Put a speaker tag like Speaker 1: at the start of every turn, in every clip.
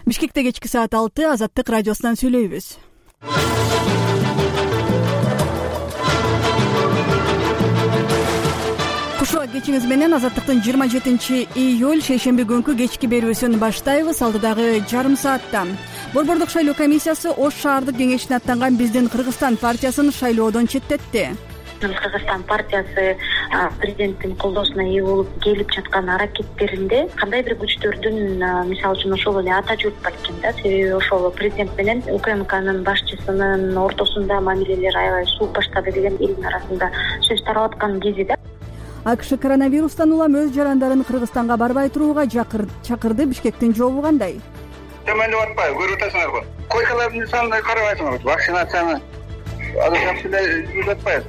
Speaker 1: Бишкекте кечки саат 6 Азаттык радиосунан сүйлөйбүз. Кушуа кечиңиз менен Азаттыктын 27-июль шейшемби күнкү кечки берүүсүн баштайбыз. Алдыдагы жарым саатта Борбордук шайлоо комиссиясы Ош шаардык кеңешине аттанган Биздин Кыргызстан партиясын шайлоодон четтетти.
Speaker 2: Кыргызстан партиясы президенттин колдоосуна ээ болуп келип жаткан аракеттеринде кандай бир күчтөрдүн, мисалы үчүн ошол эле ата журт балким да, себеби ошол президент менен УКМКнын башчысынын ортосунда мамилелер аябай сууп баштады деген элдин арасында сөз тарап аткан кези да.
Speaker 1: АКШ коронавирустан улам өз жарандарын Кыргызстанга барбай турууга чакырды. Бишкектин жообу кандай?
Speaker 3: Төмөндөп атпайбы, көрүп атасыңарбы? Койкалардын санына карабайсыңарбы? Вакцинацияны азыр жүрүп атпайбы?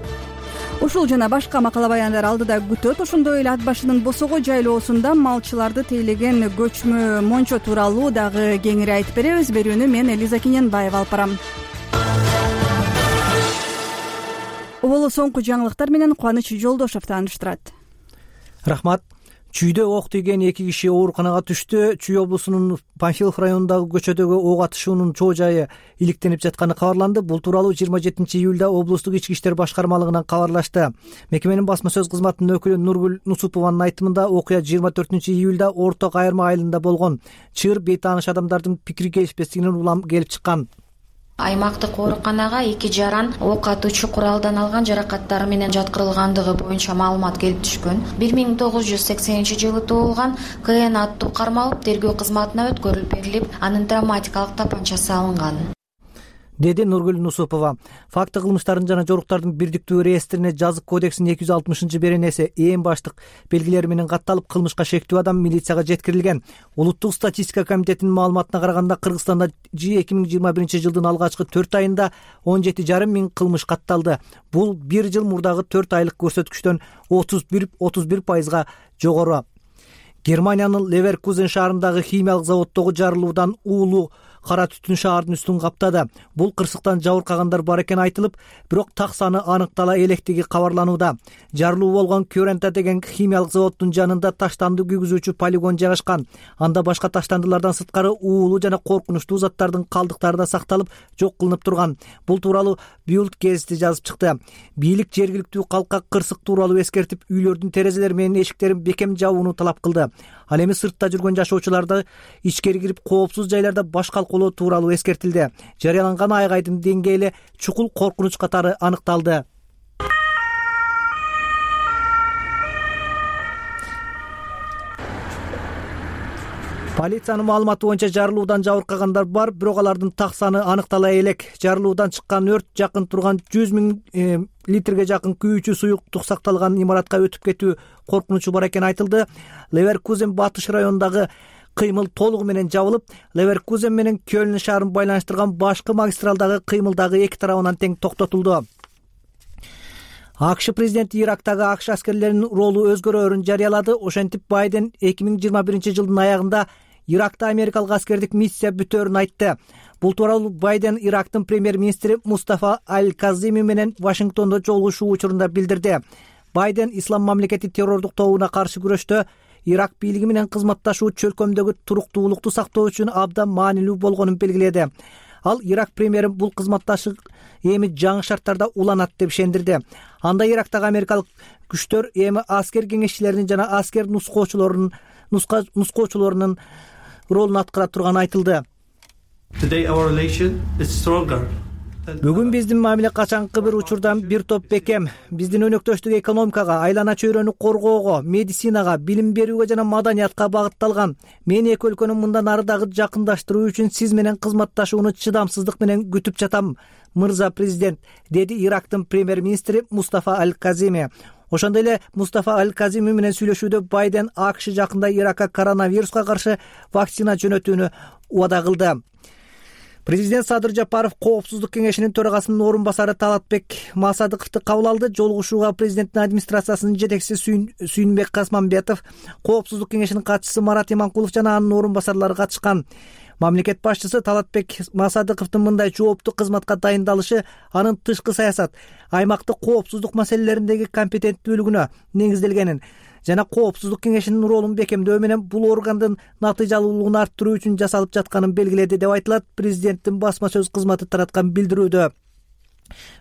Speaker 1: Ушул жана башка макала баяндар алдыда күтөт. Ошондой эле ат башынын Босого жайлоосунда малчыларды тейлеген көчмө мончо тууралуу дагы кеңири айтып беребиз. Берүүнү мен Элиза Кененбаева алып барам. Оболу соңку жаңылыктар менен Кубаныч Жолдошов тааныштырат.
Speaker 4: Рахмат. Чүйдө ок тийген 2 киши ооруканага түштү. Чүй облусунун Панфилов районундагы көчөдөгү ок атышуунун чоо жайы иликтенип жатканы кабарланды. Бул тууралуу 27-июлда облустук ички иштер башкармалыгынан кабарлашты. Мекеменин басма сөз кызматынын өкүлү Нургүл Нусупованын айтымында окуя 24-июлда Орто Кайырма айылында болгон. Чыр бейтааныш адамдардын пикири келишпестигинен улам келип чыккан.
Speaker 5: Аймактык ооруканага 2 жаран ок атуучу куралдан алган жаракаттары менен жаткырылгандыгы боюнча маалымат келип түшкөн. 1980-жылы туулган КН аттуу кармалып, тергөө кызматына өткөрүлүп берилип, анын травматикалык тапанчасы алынган,
Speaker 4: деди Нургүл Нусупова. Факты кылмыштардын жана жоруктардын бирдиктүү реестрине жазык кодексинин 260-беренеси ээн баштык белгилери менен катталып, кылмышка шектүү адам милицияга жеткирилген. Улуттук статистика комитетинин маалыматына караганда, Кыргызстанда 2021-жылдын алгачкы 4 айында 17,5 миң кылмыш катталды. Бул 1 жыл мурдагы 4 айлык көрсөткүчтөн 31% жогору. Германиянын Леверкузен шаарындагы химиялык заводдогу жарылуудан уулуу кара түтүн шаардын үстүн каптады. Бул кырсыктан жабыркагандар бар экени айтылып, бирок так саны аныктала электиги кабарланууда. Жарылуу болгон Кюрента деген химиялык заводдун жанында таштанды күйгүзүүчү полигон жайгашкан. Анда башка таштандылардан сырткары уулуу жана коркунучтуу заттардын калдыктары да сакталып, жок кылынып турган. Бул тууралуу Bild гезити жазып чыкты. Бийлик жергиликтүү калкка кырсык тууралуу эскертип, үйлөрдүн терезелери менен эшиктерин бекем жабууну талап кылды. Ал эми сыртта жүргөн жашоочуларды ичкери кирип, коопсуз жайларда баш калкалоо тууралуу эскертилди. Жарыяланган айгайдын деңгээли чукул коркунуч катары аныкталды. Полициянын маалыматы боюнча жарылуудан жабыркагандар бар, бирок алардын так саны аныктала элек. Жарылуудан чыккан өрт жакын турган 100 000 литрге жакын күйүүчү суюктук сакталган имаратка өтүп кетүү коркунучу бар экени айтылды. Леверкузен батыш районундагы кыймыл толугу менен жабылып, Леверкузен менен Кёльн шаарын байланыштырган башкы магистралдагы кыймылдагы эки тарабынан тең токтотулду. АКШ президенти Ирактагы АКШ аскерлеринин ролу өзгөрөөрүн жарыялады. Ошентип Байден 2021-жылдын аягында Иракта америкалык аскердик миссия бүтөөрүн айтты. Бул тууралуу Байден Ирактын премьер-министри Мустафа Аль-Казими менен Вашингтондо жолугушуу учурунда билдирди. Байден ислам мамлекети террордук тобуна каршы күрөштө Ирак бийлиги менен кызматташуу чөлкөмдөгү туруктуулукту сактоо үчүн абдан маанилүү болгонун белгиледи. Ал Ирак премьери бул кызматташык эми жаңы шарттарда уланат деп ишендирди. Анда Ирактагы америкалык күчтөр эми аскер кеңешчилеринин жана аскер нускоочулорунун ролун аткара турганы айтылды. Бүгүн биздин мамиле качанкы бир учурдан бир топ бекем. Биздин өнөктөштүк экономикага, айлана чөйрөнү коргоого, медицинага, билим берүүгө жана маданиятка багытталган. Мен эки өлкөнү мындан ары дагы жакындаштыруу үчүн сиз менен кызматташууну чыдамсыздык менен күтүп жатам, мырза президент, деди Ирактын премьер-министри Мустафа Аль-Казими. Ошондой эле Мустафа Аль-Казими менен сүйлөшүүдө Байден АКШ жакында Иракка коронавируска каршы вакцина жөнөтүүнү убада кылды. Президент Садыр Жапаров Коопсуздук кеңешинин төрагасынын орун басары Талатбек Масадыковду кабыл алды. Жолугушууга президенттин администрациясынын жетекчиси Сүйүнбек Касманбетов, Коопсуздук кеңешинин катчысы Марат Иманкулов жана анын орун басарлары катышкан. Мамлекет башчысы Талатбек Масадыковдун мындай жооптуу кызматка дайындалышы анын тышкы саясат, аймактык коопсуздук маселелериндеги компетенттүүлүгүнө негизделгенин жана Коопсуздук кеңешинин ролун бекемдөө менен бул органдын натыйжалуулугун арттыруу үчүн жасалып жатканын белгиледи деп айтылат президенттин басма сөз кызматы тараткан билдирүүдө.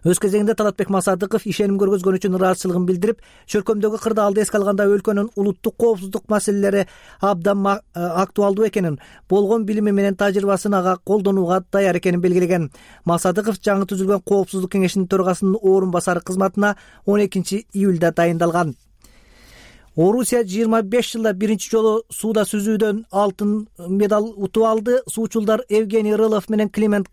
Speaker 4: Өз кезегинде Талатбек Масадыков ишеним көргөзгөн үчүн ыраазычылыгын билдирип, чөлкөмдөгү кырдаалды эске алганда өлкөнүн улуттук коопсуздук маселелери абдан актуалдуу экенин, болгон билими менен тажрыйбасын ага колдонууга даяр экенин белгилеген. Масадыков жаңы түзүлгөн Коопсуздук кеңешинин төрагасынын орун басары кызматына 12 июлда дайындалган. Орусия 25 жылда биринчи жолу сууда сүзүүдөн алтын медаль утуп алды. Суучулдар Евгений Рылов менен Климент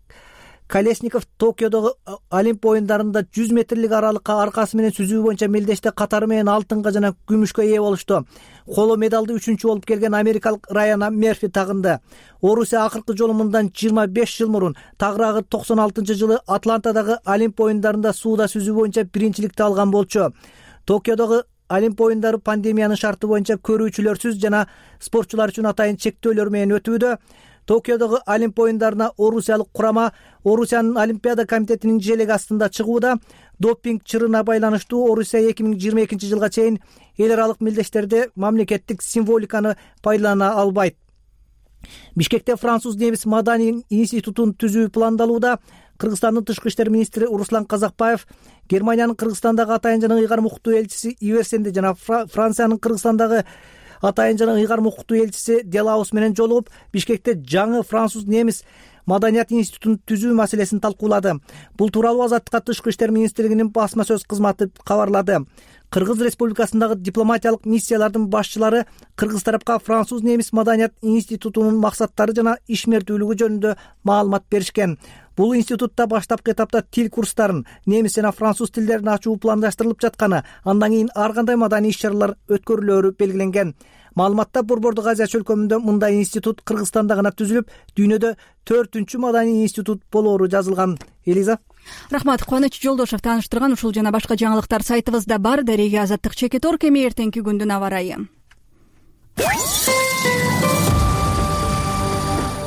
Speaker 4: Колесников Токиодогу Олимп оюндарында 100 метрлик аралыкка аркасы менен сүзүү боюнча мелдеште катары менен алтынга жана күмүшкө ээ болушту. Коло медалды 3-чү болуп келген америкалык Райана Мерфи тагынды. Орусия акыркы жолу мындан 25 жыл мурун, тагыраагы 96-жылы Атлантадагы Олимп оюндарында сууда сүзүү боюнча биринчиликти алган болчу. Токиодогу Олимп оюндары пандемиянын шарты боюнча көрүүчүлөрсүз жана спортчулар үчүн атайын чектөөлөр менен өтүүдө. Токиодогу Олимп оюндарына орусиялык курама Орусиянын Олимпиада комитетинин желеги астында чыгууда. Допинг чырына байланыштуу Орусия 2022 жылга чейин эл аралык мелдештерде мамлекеттик символиканы пайдалана албайт. Бишкекте француз немис маданий институтун түзүү пландалууда. Кыргызстандын тышкы иштер министри Руслан Казакбаев, Германиянын Кыргызстандагы атайын жана ыйгарым укуктуу элчиси Иверсенде жана Франциянын Кыргызстандагы атайын жана ыйгарым укуктуу элчиси Делаус менен жолугуп, Бишкекте жаңы француз немис маданият институтун түзүү маселесин талкуулады. Бул тууралуу Азаттыкка тышкы иштер министрлигинин басма сөз кызматы кабарлады. Кыргыз Республикасындагы дипломатиялык миссиялардын башчылары кыргыз тарапка француз немис маданият институтунун максаттары жана ишмердүүлүгү жөнүндө маалымат беришкен. Бул институтта баштапкы этапта тил курстарын, немис жана француз тилдерин ачуу пландаштырылып жатканы, андан кийин ар кандай маданий иш-чаралар өткөрүлөөрү белгиленген. Маалыматта Борбордук Азия чөлкөмүндө мындай институт Кыргызстанда гана түзүлүп, дүйнөдө 4-чү маданий институт болоору жазылган. Элиза.
Speaker 1: Рахмат. Кубаныч Жолдошов тааныштырган ушул жана башка жаңылыктар сайтыбызда бар. Дареге Азаттык Чекитор. Эми эртеңки күндүн аба ырайы.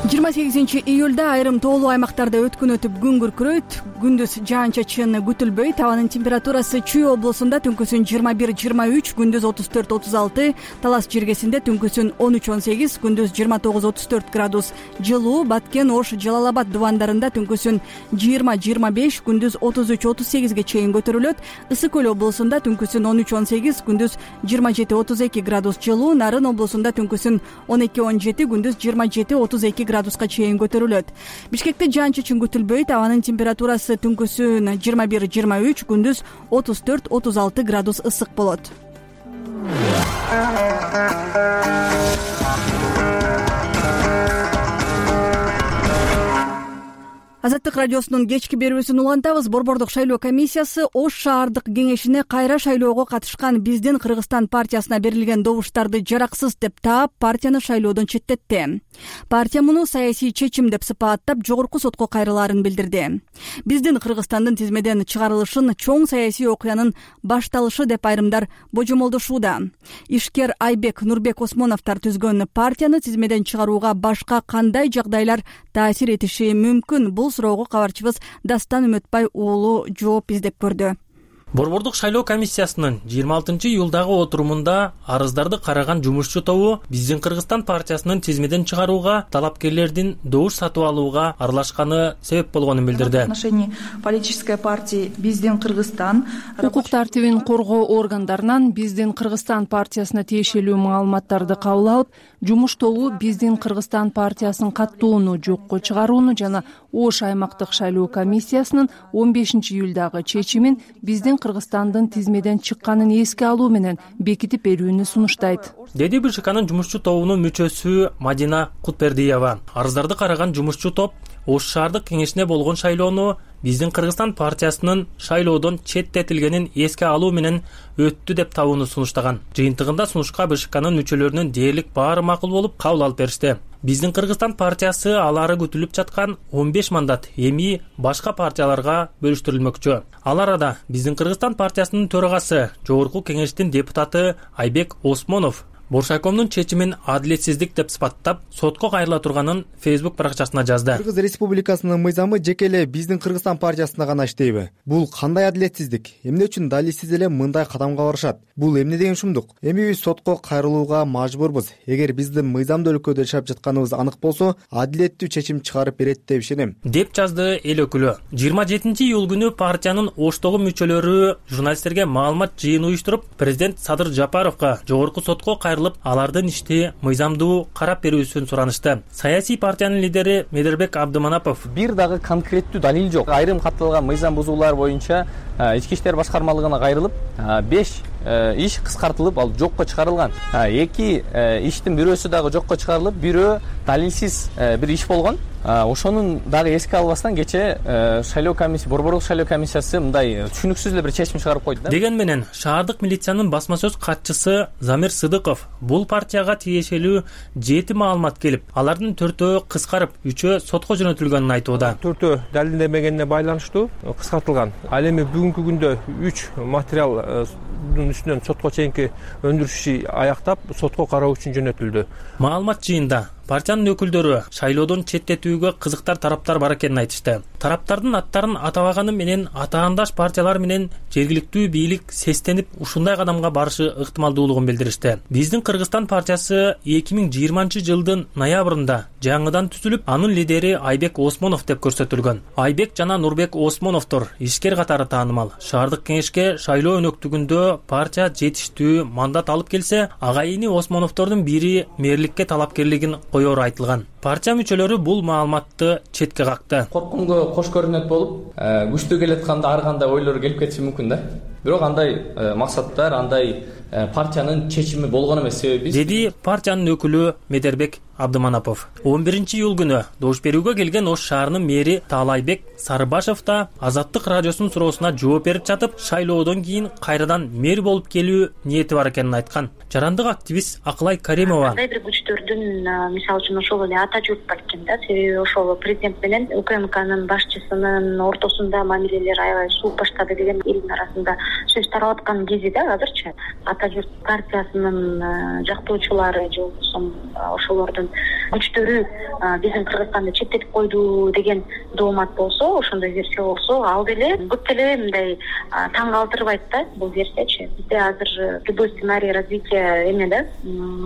Speaker 1: 28 июлда айрым тоолуу аймактарда өткүн өтүп күн күркүрөйт. Күндүз жаан-чачын күтүлбөйт. Абанын температурасы Чүй облусунда түнкүсүн 21-23, күндүз 34-36, Талас жергесинде түнкүсүн 13-18, күндүз 29-34 градус жылуу, Баткен, Ош, Жалал-Абад дубандарында түнкүсүн 20-25, күндүз 33-38ге чейин көтөрүлөт. Ысык Көл облусунда түнкүсүн 13-18, күндүз 27-32 градус жылуу, Нарын облусунда түнкүсүн 12-17, күндүз 27-32 градуска чейин көтөрүлөт. Бишкекте жаан-чачын күтүлбөйт. Абанын температурасы түнкүсүн 21-23, күндүз 34-36 градус ысык болот. Азаттык радиосунун кечки берүүсүн улантабыз. Борбордук шайлоо комиссиясы Ош шаардык кеңешине кайра шайлоого катышкан Биздин Кыргызстан партиясына берилген добуштарды жараксыз деп таап, партияны шайлоодон четтетти. Партия муну саясий чечим деп сыпаттап, жогорку сотко кайрылаарын билдирди. Биздин Кыргызстандын тизмеден чыгарылышын чоң саясий окуянын башталышы деп айрымдар божомолдошууда. Ишкер Айбек, Нурбек Осмоновдор түзгөн партияны тизмеден чыгарууга башка кандай жагдайлар таасир этиши мүмкүн? Бул суроого кабарчыбыз Дастан Үмөтбай уулу жооп издеп көрдү.
Speaker 6: Борбордук шайлоо комиссиясынын 26 июлдагы отурумунда арыздарды караган жумушчу тобу Биздин Кыргызстан партиясынын тизмеден чыгарууга талапкерлердин добуш сатып алууга аралашканы себеп болгонун билдирди.
Speaker 7: В отношении политической партии Биздин Кыргызстан
Speaker 8: укук тартибин коргоо органдарынан Биздин Кыргызстан партиясына тиешелүү маалыматтарды кабыл алып, жумуш тобу Биздин Кыргызстан партиясынын каттууну жокко чыгарууну жана Ош аймактык шайлоо комиссиясынын 15 июлдагы чечимин Биздин Кыргызстандын тизмеден чыкканын эске алуу менен бекитип берүүнү сунуштайт,
Speaker 6: деди БШКнын жумушчу тобунун мүчөсү Мадина Кутбердиева. Арыздарды караган жумушчу топ Ош шаардык кеңешине болгон шайлоону Биздин Кыргызстан партиясынын шайлоодон четтетилгенин эске алуу менен өттү деп табууну сунуштаган. Жыйынтыгында сунушка БШКнын мүчөлөрүнүн дээрлик баары макул болуп кабыл алып беришти. Биздин Кыргызстан партиясы алары күтүлүп жаткан 15 мандат эми башка партияларга бөлүштүрүлмөкчү. Ал арада Биздин Кыргызстан партиясынын төрагасы, жогорку кеңештин депутаты Айбек Осмонов Боршайкомдун чечимин адилетсиздик деп сыпаттап, сотко кайрыла турганын Facebook баракчасына жазды.
Speaker 9: Кыргыз Республикасынын мыйзамы жеке эле биздин Кыргызстан партиясына гана иштейби? Бул кандай адилетсиздик? Эмне үчүн далилсиз эле мындай кадамга барышат? Бул эмне деген шумдук? Эми биз сотко кайрылууга мажбурбуз. Эгер биздин мыйзамдуу өлкөдө жашап жатканыбыз анык болсо, адилеттүү чечим чыгарып берет деп ишенем,
Speaker 6: деп жазды эл өкүлү. 27-июль күнү партиянын Оштогу мүчөлөрү журналисттерге маалымат жыйын уюштуруп, президент Садыр Жапаровго жогорку сотко кайрылып, алардын ишти мыйзамдуу карап берүүсүн суранышты. Саясий партиянын лидери Медербек Абдыманапов:
Speaker 10: бир дагы конкреттүү далил жок. Айрым катталган мыйзам бузуулар боюнча ички иштер башкармалыгына кайрылып, 5 иш кыскартылып, ал жокко чыгарылган. 2 иштин бирөөсү дагы жокко чыгарылып, бирөө далилсиз бир иш болгон. Ошонун дагы эске албастан кече шайлоо комиссиясы, борборлук шайлоо комиссиясы мындай түшүнүксүз эле бир чечим чыгарып койду да.
Speaker 6: Деген менен шаардык милициянын басма сөз катчысы Замир Сыдыков бул партияга тиешелүү 7 маалымат келип, алардын 4-өө кыскарып, 3-өө сотко жөнөтүлгөнүн айтууда.
Speaker 11: 4-өө далилденбегенине байланыштуу кыскартылган. Ал эми бүгүнкү күндө 3 материалдын үстүнөн сотко чейинки өндүрүш иши аяктап, сотко кароо үчүн жөнөтүлдү.
Speaker 6: Маалымат жыйында партиянын өкүлдөрү шайлоодон четтетүүгө кызыктар тараптар бар экенин айтышты. Тараптардын аттарын атабаганы менен атаандаш партиялар менен жергиликтүү бийлик сестенип ушундай кадамга барышы ыктымалдуулугун билдиришти. Биздин Кыргызстан партиясы 2020-жылдын ноябрында жаңыдан түзүлүп, анын лидери Айбек Осмонов деп көрсөтүлгөн. Айбек жана Нурбек Осмоновдор ишкер катары таанымал. Шаардык кеңешке шайлоо өнөктүгүндө партия жетиштүү мандат алып келсе, агайыны Осмоновдордун бири мэрликке талапкерлигин коёру айтылган. Партия мүчөлөрү бул маалыматты четке какты.
Speaker 10: Коркунго кош көрүнөт болуп, күчтүү келатканда ар кандай ойлор келип кетиши мүмкүн да. Бирок андай максаттар, андай партиянын чечими болгон эмес, себеби
Speaker 6: деди партиянын өкүлү Медербек Абдыманапов. 11-июль күнү добуш берүүгө келген Ош шаарынын мэри Таалайбек Сарыбашев да Азаттык радиосунун суроосуна жооп берип жатып, шайлоодон кийин кайрадан мэр болуп келүү ниети бар экенин айткан. Жарандык активист Акылай Каримова:
Speaker 2: кандай бир күчтөрдүн, мисалы үчүн ошол эле ата журт балким да, себеби ошол президент менен УКМКнын башчысынын ортосунда мамилелер аябай сууп баштады деген элдин арасында сөз тарап аткан кези да азырчы. Ата журт партиясынын жактоочулары же болбосо ошолордун күчтөрү биздин Кыргызстанды четтетип койду деген доомат болсо, ошондой версия болсо, ал деле көп деле мындай таң калтырбайт да бул версиячы. Бизде азыр любой сценарий развития эме да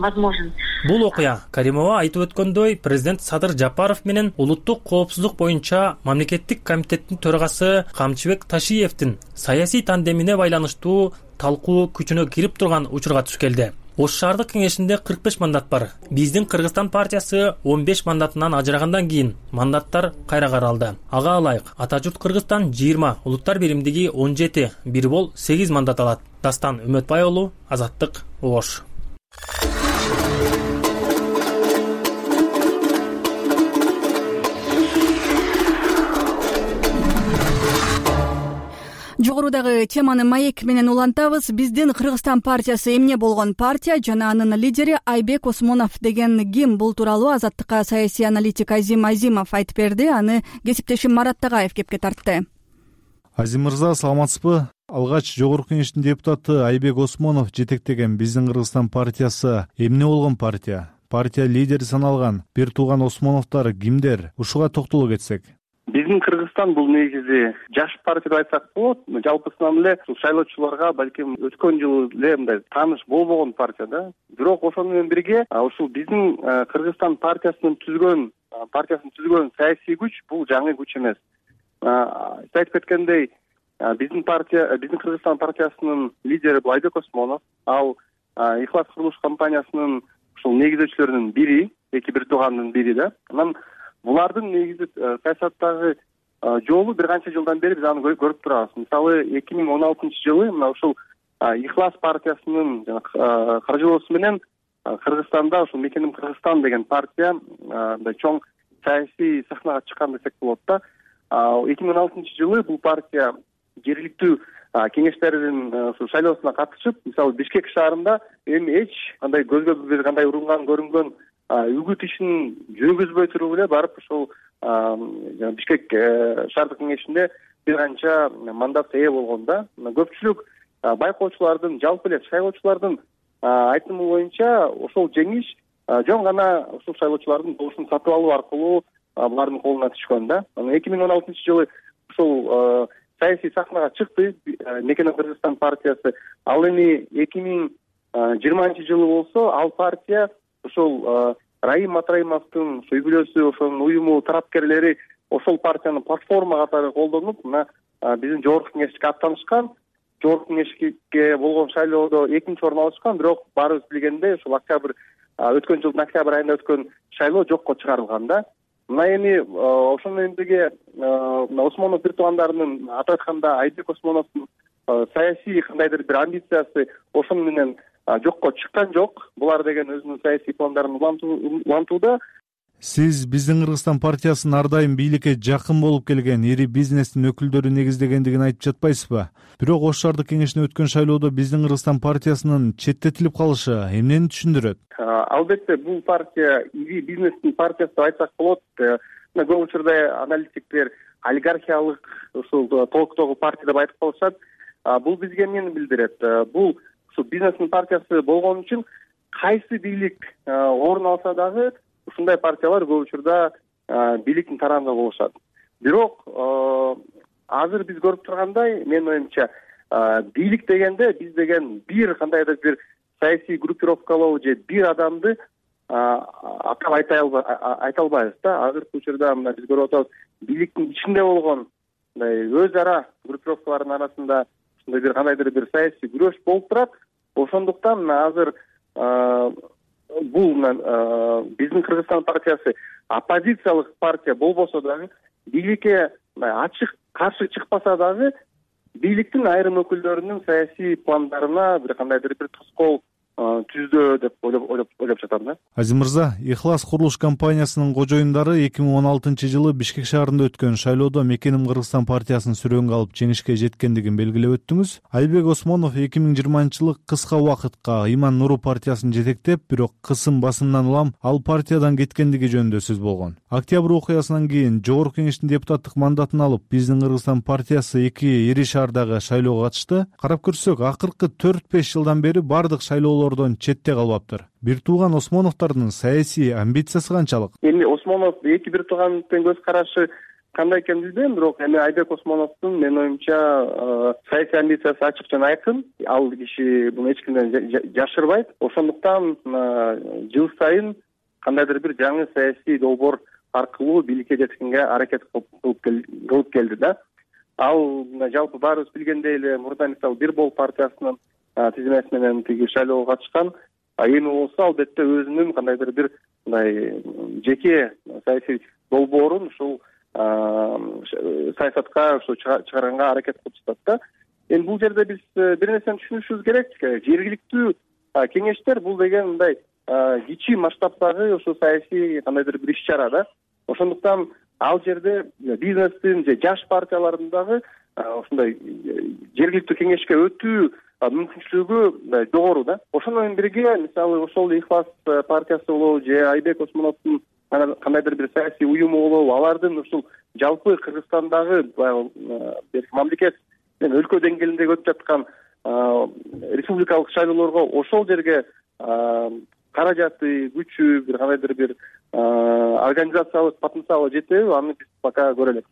Speaker 2: возможен.
Speaker 6: Бул окуя Каримова айтып өткөндөй, президент Садыр Жапаров менен улуттук коопсуздук боюнча мамлекеттик комитеттин төрагасы Камчыбек Ташиевдин саясий тандемине байланыштуу талкуу күчүнө кирип турган учурга туш келди. Ош шаардык кеңешинде 45 мандат бар. Биздин Кыргызстан партиясы 15 мандатынан ажырагандан кийин мандаттар кайра каралды. Ага ылайык Ата журт Кыргызстан 20, улуттар биримдиги 17, бир бол 8 мандат алат. Дастан Үмөтбай уулу, Азаттык, Ош.
Speaker 1: Жогорудагы теманы маек менен улантабыз. Биздин Кыргызстан партиясы эмне болгон партия жана анын лидери Айбек Осмонов деген ким? Бул тууралуу Азаттыкка саясий аналитик Азим Азимов айтып берди. Аны кесиптешим Марат Тагаев кепке тартты.
Speaker 12: Азим мырза, саламатсызбы? Алгач жогорку кеңештин депутаты Айбек Осмонов жетектеген биздин Кыргызстан партиясы эмне болгон партия? Партия лидери саналган бир тууган Осмоновдор кимдер? Ушуга токтоло кетсек.
Speaker 13: Биздин Кыргызстан бул негизи жаш партия деп айтсак болот. Жалпысынан эле шайлоочуларга балким өткөн жылы эле мындай тааныш болбогон партия да. Бирок ошону менен бирге ушул биздин Кыргызстан партиясын түзгөн саясий күч бул жаңы күч эмес. Сиз айтып кеткендей, биздин Кыргызстан партиясынын лидери бул Айбек Осмонов. Ал Ихлас курулуш компаниясынын ушул негизделүүчүлөрүнүн бири, бир туугандын бири да. Анан булардын негизи саясаттагы жолу бир канча жылдан бери биз аны көрүп турабыз. Мисалы 2016-жылы мына ушул Ихлас партиясынын каржылоосу менен Кыргызстанда ушул Мекеним Кыргызстан деген партия мындай чоң саясий сахнага чыккан десек болот да. 2016-жылы бул партия жергиликтүү кеңештердин шайлоосуна катышып, мисалы Бишкек шаарында эми эч кандай көзгө бир кандай урунган көрүнгөн үгүт ишин жүргүзбөй туруп эле барып ошол Бишкек шаардык кеңешинде бир канча мандат ээ болгон да. Көпчүлүк байкоочулардын, жалпы эле шайлоочулардын айтымы боюнча ошол жеңиш жөн гана ушул шайлоочулардын добушун сатып алуу аркылуу булардын колуна түшкөн да. 2016-жылы ушул саясий сахнага чыкты Мекенем Кыргызстан партиясы. Ал эми 2020-жылы болсо ал партия ошол Раим Матраимовдун үй-бүлөсү, ошонун уюму тарапкерлери ошол партияны платформа катары колдонуп, мына биздин жогорку кеңешке аттанышкан. Жогорку кеңешке болгон шайлоодо 2-нчи орун алышкан, бирок баарыбыз билгендей ушул өткөн жылдын октябрь айында өткөн шайлоо жокко чыгарылган да. Мына эми ошону менен бирге Осмонов бир туугандарынын атап айтканда Айбек Осмоновдун саясий кандайдыр бир амбициясы ошону менен жокко чыккан жок. Булар деген өзүнүн саясий пландарын улантууда.
Speaker 12: Сиз биздин Кыргызстан партиясынын ар дайым бийликке жакын болуп келген ири бизнестин өкүлдөрү негиздегендигин айтып жатпайсызбы? Бирок Ош шаардык кеңешине өткөн шайлоодо биздин Кыргызстан партиясынын четтетилип калышы эмнени түшүндүрөт?
Speaker 13: Албетте бул партия ири бизнестин партиясы деп айтсак болот. Көп учурда аналитиктер олигархиялык ушул толуктогу партия деп айтып калышат. Бул бизге эмнени билдирет? Бул ушул бизнестин партиясы болгон үчүн кайсы бийлик орун алса дагы ушундай партиялар көп учурда бийликтин тарабында болушат. Бирок азыр биз көрүп тургандай, менин оюмча, бийлик дегенде биз деген бир кандайдыр бир саясий группировкалоо же бир адамды атап айта албайбыз да. Азыркы учурда мына биз көрүп атабыз, бийликтин ичинде болгон мындай өз ара группировкалардын арасында ушундай бир кандайдыр бир саясий күрөш болуп турат. Ошондуктан азыр бул биздин Кыргызстан партиясы оппозициялык партия болбосо дагы, бийликке ачык каршы чыкпаса дагы, бийликтин айрым өкүлдөрүнүн саясий пландарына бир кандайдыр бир тоскоол түздөө деп ойлоп жатам да.
Speaker 12: Азим мырза, Ихлас курулуш компаниясынын кожоюндары 2016-жылы Бишкек шаарында өткөн шайлоодо Мекенем Кыргызстан партиясын сүрөөнгө алып жеңишке жеткендигин белгилеп өттүңүз. Айбек Осмонов 2020-жылы кыска убакытка Иман Нуру партиясын жетектеп, бирок басымдан улам ал партиядан кеткендиги жөнүндө сөз болгон. Октябрь окуясынан кийин жогорку кеңештин депутаттык мандатын алып, биздин Кыргызстан партиясы 2 ири шаардагы шайлоого катышты. Карап көрсөк, акыркы 4-5 жылдан бери бардык шайлоолор четте калбаптыр. Бир тууган Осмоновдордун саясий амбициясы канчалык?
Speaker 13: Эми Осмонов бир туугандын көз карашы кандай экенин билбейм, бирок эми Айбек Осмоновдун менин оюмча саясий амбициясы ачык жана айкын. Ал киши буну эч кимден жашырбайт. Ошондуктан жыл сайын кандайдыр бир жаңы саясий долбоор аркылуу бийликке жеткенге аракет кылып келди да. Ал жалпы баарыбыз билгендей эле мурда мисалы Бир Бол партиясынын тизмеси менен тиги шайлоого катышкан. Эми болсо албетте өзүнүн кандайдыр бир мындай жеке саясий долбоорун ушул саясатка чыгарганга аракет кылып жатат да. Эми бул жерде биз бир нерсени түшүнүшүбүз керек. Жергиликтүү кеңештер бул деген мындай кичи масштабдагы ошо саясий кандайдыр бир иш-чара да. Ошондуктан ал жерде бизнестин же жаш партиялардын дагы ушундай жергиликтүү кеңешке өтүү мүмкүнчүлүгү жогору да. Ошону менен бирге мисалы ошол Ихлас партиясы болобу же Айбек Осмоновдун кандайдыр бир саясий уюму болобу, алардын ушул жалпы Кыргызстандагы мамлекет менен өлкө деңгээлиндеги өтүп жаткан республикалык шайлоолорго ошол жерге каражаты, күчү, бир кандайдыр бир организациялык потенциалы жетеби, аны биз пока көрө элекпиз.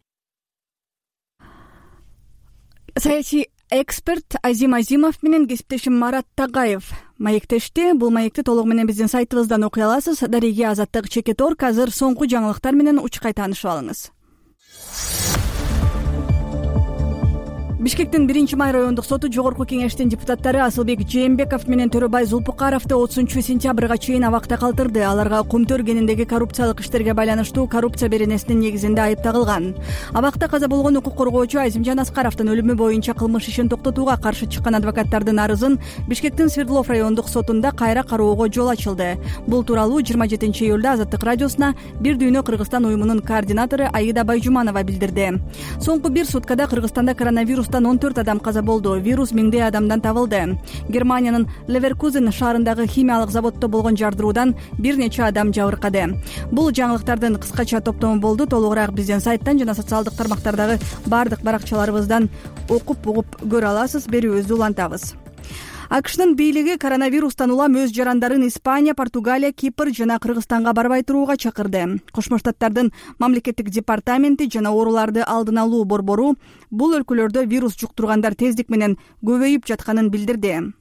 Speaker 1: Саясий эксперт Азим Азимов менен кесиптешим Марат Тагаев маектешти. Бул маекти толугу менен биздин сайтыбыздан окуй аласыз. Дареге Азаттык Чекет.орг. Азыр соңку жаңылыктар менен учкай таанышып алыңыз. Бишкектин 1-май райондук соту жогорку кеңештин депутаттары Асылбек Жээнбеков менен Төрөбай Зулпукаровду 30-сентябрга чейин абакта калтырды. Аларга Кумтөр кениндеги коррупциялык иштерге байланыштуу коррупция беренесинин негизинде айып тагылган. Абакта каза болгон укук коргоочу Азимжан Аскаровдун өлүмү боюнча кылмыш ишин токтотууга каршы чыккан адвокаттардын арызын Бишкектин Свердлов райондук сотунда кайра кароого жол ачылды. Бул тууралуу 27-июлда Азаттык радиосуна Бир дүйнө Кыргызстан уюмунун координатору Аида Байжуманова билдирди. Соңку бир суткада Кыргызстанда коронавирустан 14 адам каза болду. Вирус миңдей адамдан табылды. Германиянын Леверкузен шаарындагы химиялык заводдо болгон жардыруудан бир нече адам жабыркады. Бул жаңылыктардын кыскача топтому болду. Толугураак биздин сайттан жана социалдык тармактардагы бардык баракчаларыбыздан окуп угуп көрө аласыз. Берүүбүздү улантабыз. АКШнын бийлиги коронавирустан улам өз жарандарын Испания, Португалия, Кипр жана Кыргызстанга барбай турууга чакырды. Кошмо Штаттардын мамлекеттик департаменти жана ооруларды алдын алуу борбору бул өлкөлөрдө вирус жуктургандар тездик менен көбөйүп жатканын билдирди.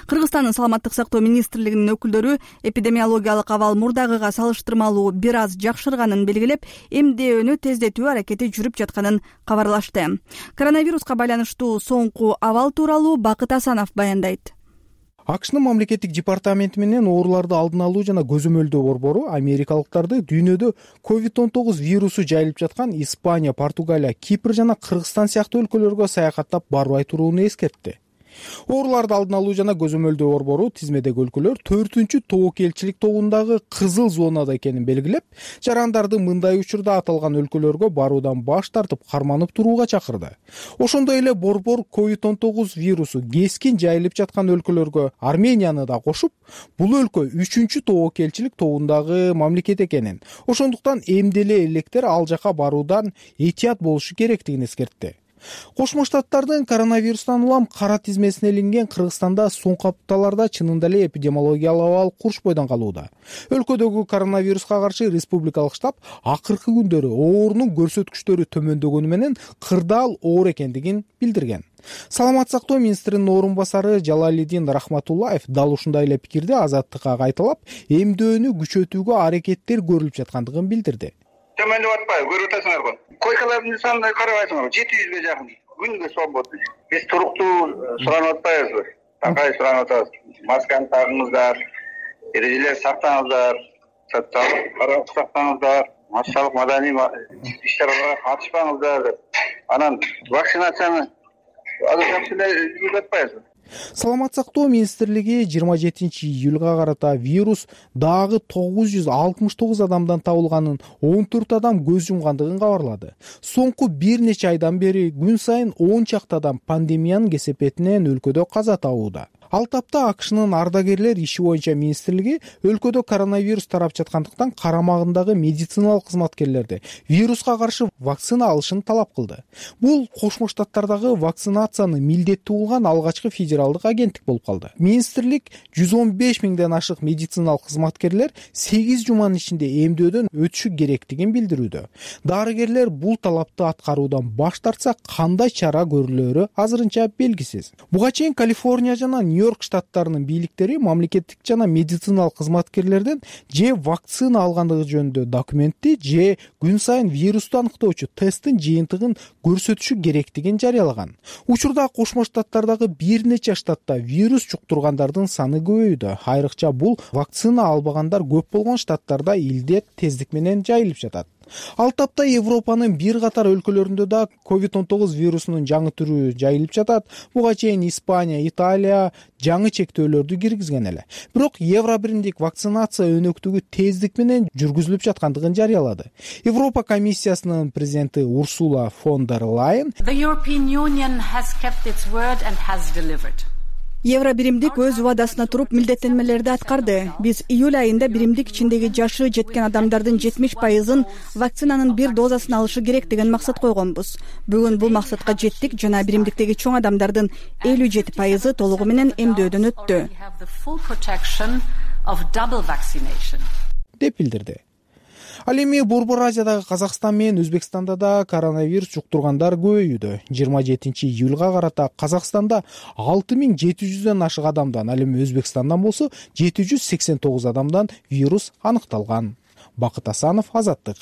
Speaker 1: Кыргызстандын саламаттык сактоо министрлигинин өкүлдөрү эпидемиологиялык абал мурдагыга салыштырмалуу бир аз жакшырганын белгилеп, эмдөөнү тездетүү аракети жүрүп жатканын кабарлашты. Коронавируска байланыштуу соңку абал тууралуу Бакыт Асанов баяндайт.
Speaker 14: АКШнын мамлекеттик департаменти менен ооруларды алдын алуу жана көзөмөлдөө борбору америкалыктарды дүйнөдө COVID-19 вирусу жайылып жаткан Испания, Португалия, Кипр жана Кыргызстан сыяктуу өлкөлөргө саякаттап барбай турууну эскертти. Ооруларды алдын алуу жана көзөмөлдөө борбору тизмедеги өлкөлөр 4-чү тобокелчилик тобундагы кызыл зонада экенин белгилеп, жарандарды мындай учурда аталган өлкөлөргө баруудан баш тартып карманып турууга чакырды. Ошондой эле борбор COVID-19 вирусу кескин жайылып жаткан өлкөлөргө Арменияны да кошуп, бул өлкө 3-чү тобокелчилик тобундагы мамлекет экенин, ошондуктан эмделе электер ал жака баруудан этият болушу керектигин эскертти. Кошмо Штаттардын коронавирустан улам кара тизмесине илинген Кыргызстанда соңку апталарда чынында эле эпидемиологиялык абал курч бойдон калууда. Өлкөдөгү коронавируска каршы республикалык штаб акыркы күндөрү оорунун көрсөткүчтөрү төмөндөгөнү менен кырдаал оор экендигин билдирген. Саламаттык сактоо министринин орун басары Жалалидин Рахматуллаев дал ушундай эле пикирди Азаттыкка кайталап, эмдөөнү күчөтүүгө аракеттер көрүлүп жаткандыгын билдирди.
Speaker 3: Төмөндөп атпайбы, көрүп атасыңарбы? Койкалардын санына карабайсыңарбы? 700ге жакын. Күнгө свободно. Биз туруктуу суранып атпайбызбы? Такай суранып атабыз. Масканы тагыңыздар, эрежелер сактаңыздар, социалдык сактаңыздар, массалык маданий иш-чараларга катышпаңыздар деп. Анан вакцинацияны азыр жакшы эле жүргүзүп атпайбызбы?
Speaker 14: Саламаттык сактоо министрлиги 27-июлга карата вирус дагы 969 адамдан табылганын, 14 адам көз жумгандыгын кабарлады. Соңку бир нече айдан бери күн сайын 10 чакты адам пандемиянын кесепетинен өлкөдө каза табууда. Ал тапта АКШнын ардагерлер иши боюнча министрлиги өлкөдө коронавирус тарап жаткандыктан карамагындагы медициналык кызматкерлерди вируска каршы вакцина алышын талап кылды. Бул Кошмо Штаттардагы вакцинацияны милдеттүү кылган алгачкы федералдык агенттик болуп калды. Министрлик 115 миңден ашык медициналык кызматкерлер 8 жуманын ичинде эмдөөдөн өтүшү керектигин билдирүүдө. Дарыгерлер бул талапты аткаруудан баш тартса, кандай чара көрүлөрү азырынча белгисиз. Буга чейин Калифорния жана Нью-Йорк штаттарынын бийликтери мамлекеттик жана медициналык кызматкерлерден же вакцина алгандыгы жөнүндө документти, же күн сайын вирусту аныктоочу тесттин жыйынтыгын көрсөтүшү керектигин жарыялаган. Учурда Кошмо Штаттардагы бир нече штатта вирус жуктургандардын саны көбөйдү. Айрыкча бул вакцина албагандар көп болгон штаттарда илдет тездик менен жайылып жатат. Ал тапта Европанын бир катар өлкөлөрүндө да COVID-19 вирусунун жаңы түрү жайылып жатат. Буга чейин Испания, Италия жаңы чектөөлөрдү киргизген эле. Бирок Евробиримдик вакцинация өнөктүгү тездик менен жүргүзүлүп жаткандыгын жарыялады. Европа комиссиясынын президенти Урсула фон дер Лайен
Speaker 1: Евробиримдик өз убадасына туруп милдеттенмелерди аткарды. Биз июль айында биримдик ичиндеги жашы жеткен адамдардын 70%-ын вакцинанын бир дозасын алышы керек деген максат койгонбуз. Бүгүн бул максатка жеттик жана биримдиктеги чоң адамдардын 57% толугу менен эмдөөдөн өттү,
Speaker 14: деп билдирди. Ал эми Борбор Азиядагы Казакстан менен Өзбекстанда да коронавирус жуктургандар көбөйүүдө. 27-июлга карата Казакстанда 6700дөн ашык адамдан, ал эми Өзбекстандан болсо 789 адамдан вирус аныкталган. Бакыт Асанов, Азаттык.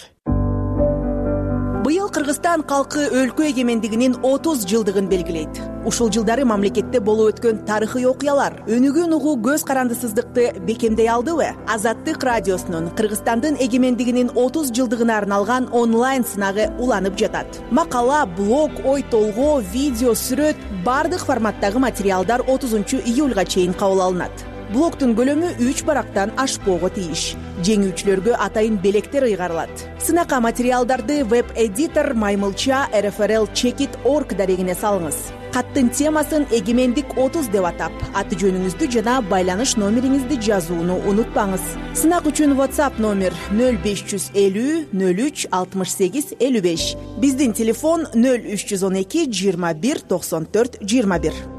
Speaker 15: Быйыл Кыргызстан калкы өлкө эгемендигинин 30 жылдыгын белгилейт. Ушул жылдары мамлекетте болуп өткөн тарыхый окуялар өнүгүүн угуу көз карандысыздыкты бекемдей алдыбы? Азаттык радиосунун Кыргызстандын эгемендигинин 30 жылдыгына арналган онлайн сынагы уланып жатат. Макала, блог, ой толгоо, видео, сүрөт бардык форматтагы материалдар 30-июлга чейин кабыл алынат. Блогтун көлөмү 3 барактан ашпоого тийиш. Жеңүүчүлөргө атайын белектер ыйгарылат. Сынакка материалдарды веб-эдитор Маймылча RFRL-Checkit.org дарегине салыңыз. Каттын темасын эгемендик 30 деп атап, аты жөнүңүздү жана байланыш номериңизди жазууну унутпаңыз. Сынак үчүн WhatsApp номер 0550 03 68 55. Биздин телефон 0312 21 94 21.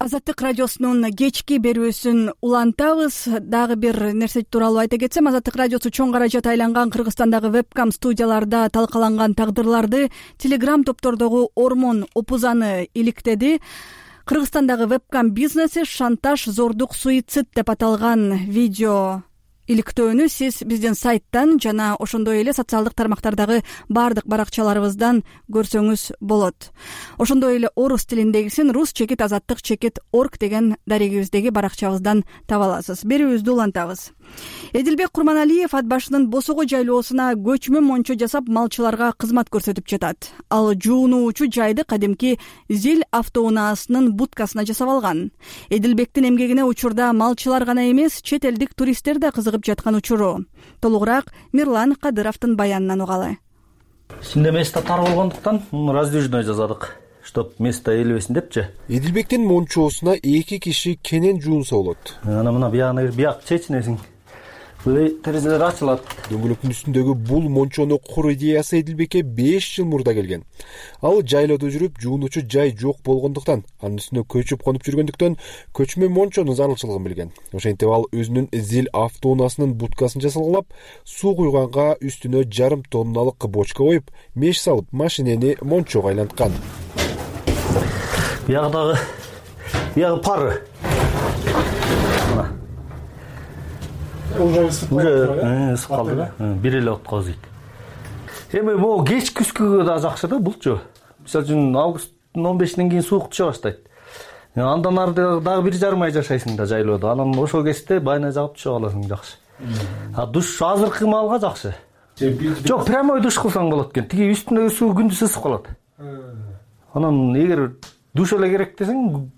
Speaker 1: Азаттык радиосунун кечки берүүсүн улантабыз. Дагы бир нерсе тууралуу айта кетсем, Азаттык радиосу чоң каражат айланган Кыргызстандагы вебкам студияларда талкаланган тагдырларды Telegram топтордогу Ормон Опузаны иликтеди. Кыргызстандагы вебкам бизнеси шантаж, зордук, суицид деп аталган видео иликтөөнү сиз биздин сайттан жана ошондой эле социалдык тармактардагы баардык баракчаларыбыздан көрсөңүз болот. Ошондой эле орус тилиндегисин rus-azattik.org деген дарегибиздеги баракчабыздан таба аласыз. Берүүбүздү улантабыз. Эдилбек Курманалиев ат башынын Босого жайлоосуна көчмө мончо жасап малчыларга кызмат көрсөтүп жатат. Ал жуунуучу жайды кадимки Зил автоунаасынын будкасына жасап алган. Эдилбектин эмгегине учурда малчылар гана эмес, чет элдик туристтер да кызыгып жаткан учуру. Толугураак Мирлан Кадыровдун баянынан угалы.
Speaker 16: Ичинде место тар болгондуктан раздвижной жасадык, чтоб место элебесин депчи.
Speaker 17: Эдилбектин мончоосуна 2 киши кенен жуунса болот.
Speaker 16: Ана мына бияк чечинесиң. Терезелер ачылат.
Speaker 17: Дөңгөлөктүн үстүндөгү бул мончону куруу идеясы Эдилбекке 5 жыл мурда келген. Ал жайлоодо жүрүп, жуунуучу жай жок болгондуктан, анын үстүнө көчүп конуп жүргөндүктөн көчмө мончонун зарылчылыгын билген. Ошентип ал өзүнүн Зил автоунаасынын будкасын жасалгалап, суу куйганга үстүнө 1,5 тонналык бочка коюп, меш салып, машинени мончого айланткан.
Speaker 16: Биягы пары. Уже ысып калды да. Бир эле отко зыйт. Эми могу кеч күзгүгө да жакшы да булчу. Мисалы үчүн августтун 15-нен кийин суук түшө баштайт. Андан ары дагы 1,5 ай жашайсың да жайлоодо. Анан ошол кезде байна жагып түшө каласың жакшы. Душ азыркы маалга жакшы. Жок, прямой душ кылсаң болот экен. Тиги үстүндөгү суу күндүз ысып калат. Анан эгер душ эле керек десең,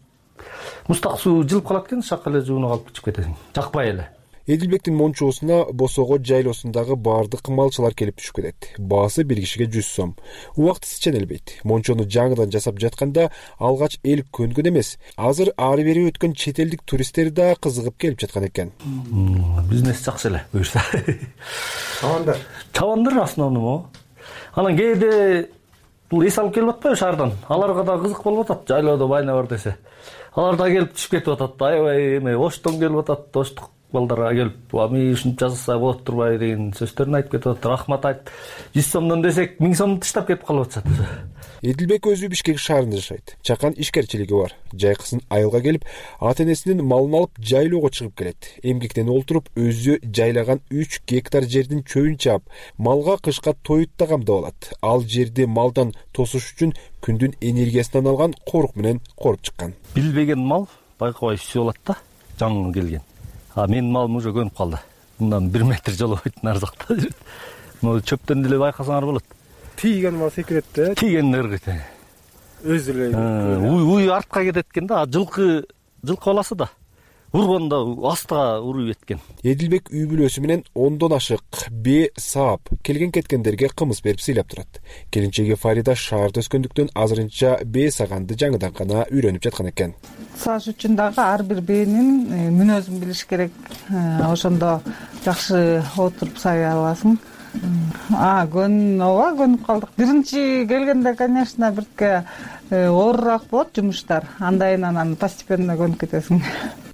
Speaker 16: мустак суу жылып калат экен, шак эле жуунуп алып чыгып кетесиң. Жакпай эле.
Speaker 17: Эдилбектин мончоосуна Босого жайлоосундагы баардык малчылар келип түшүп кетет. Баасы бир кишиге 100 сом. Убактысы ченелбейт. Мончону жаңыдан жасап жатканда алгач эл көнгөн эмес. Азыр ары бери өткөн чет элдик туристтер да кызыгып келип жаткан экен.
Speaker 16: Бизнес жакшы эле буюрса. Чабандар основном. Анан кээде бул эс алып келип атпайбы шаардан? Аларга да кызык болуп атат. Жайлоодо байна бар десе. Алар да келип түшүп кетип атат. Аябай эме Оштон келип атат. Оштук балдар келип, "Ами ушинтип жасаса болот турбайбы" деген сөздөрүн айтып кетип атат. Рахмат айтып, 100 сомдон десек 1000 сомду таштап кетип калып атышат.
Speaker 17: Эдилбек өзү Бишкек шаарында жашайт. Чакан ишкерчилиги бар. Жайкысын айылга келип, ата-энесинин малын алып жайлоого чыгып келет. Эмгектен олтуруп, өзү жайлаган 3 гектар жердин чөбүн чаап, малга кышка тоют да камдап алат. Ал жерди малдан тосуш үчүн күндүн энергиясынан алган корук менен коруп чыккан.
Speaker 16: Билбеген мал байкабай үсүп алат да, жаңы келген. Менин малым уже көнүп калды. Мындан 1 метр жолобойт нарзакта жүрөт. Могу чөптөн деле байкасаңар болот.
Speaker 18: Тийген мал секирет да.
Speaker 16: Тийген ыргыт.
Speaker 18: Өзү эле.
Speaker 16: Уй артка кетет экен да, жылкы баласы да. Ургондо астыга уруп кеткен.
Speaker 17: Эдилбек үй бүлөсү менен 10дон ашык саап келген кеткендерге кымыз берип сыйлап турат. Келинчеги Фарида шаарда өскөндүктөн азырынча саганды жаңыдан гана үйрөнүп жаткан экен.
Speaker 19: Сааш үчүн дагы ар бир бээнин мүнөзүн билиш керек. Ошондо жакшы отуруп сай аласың. Көнүп калдык. Биринчи келгенде, конечно, бирке оорураак болот жумуштар. Андайын анан постепенно көнүп кетесиң.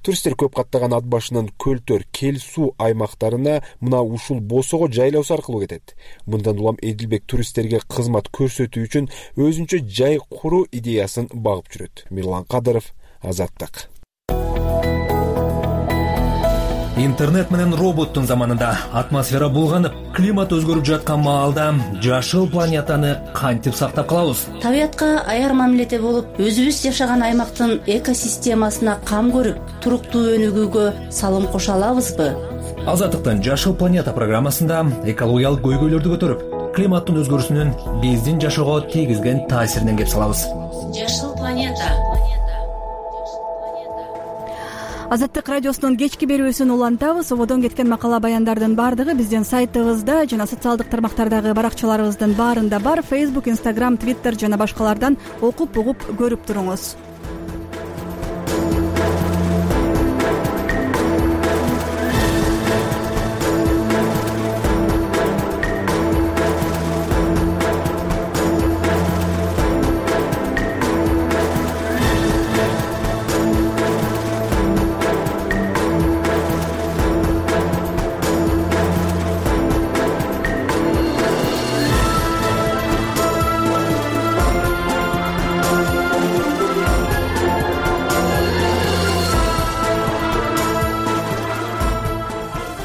Speaker 17: Туристтер көп каттаган ат башынын көлтөр, кел суу аймактарына мына ушул Босого жайлоосу аркылуу кетет. Мындан улам Эдилбек туристтерге кызмат көрсөтүү үчүн өзүнчө жай куруу идеясын багып жүрөт. Мирлан Кадыров, Азаттык.
Speaker 20: Интернет менен роботтун заманында атмосфера булганып, климат өзгөрүп жаткан маалда жашыл планетаны кантип сактап калабыз?
Speaker 21: Табиятка аяр мамиледе болуп, өзүбүз жашаган аймактын экосистемасына кам көрүп, туруктуу өнүгүүгө салым кошо алабызбы?
Speaker 20: Азаттыктын Жашыл планета программасында экологиялык көйгөйлөрдү көтөрүп, климаттын өзгөрүүсүнүн биздин жашоого тийгизген таасиринен кеп салабыз.
Speaker 21: Жашыл планета.
Speaker 1: Азаттык радиосунун кечки берүүсүн улантабыз. Ободон кеткен макала баяндардын баардыгы биздин сайтыбызда жана социалдык тармактардагы баракчаларыбыздын баарында бар. Facebook, Instagram, Twitter жана башкалардан окуп, угуп, көрүп туруңуз.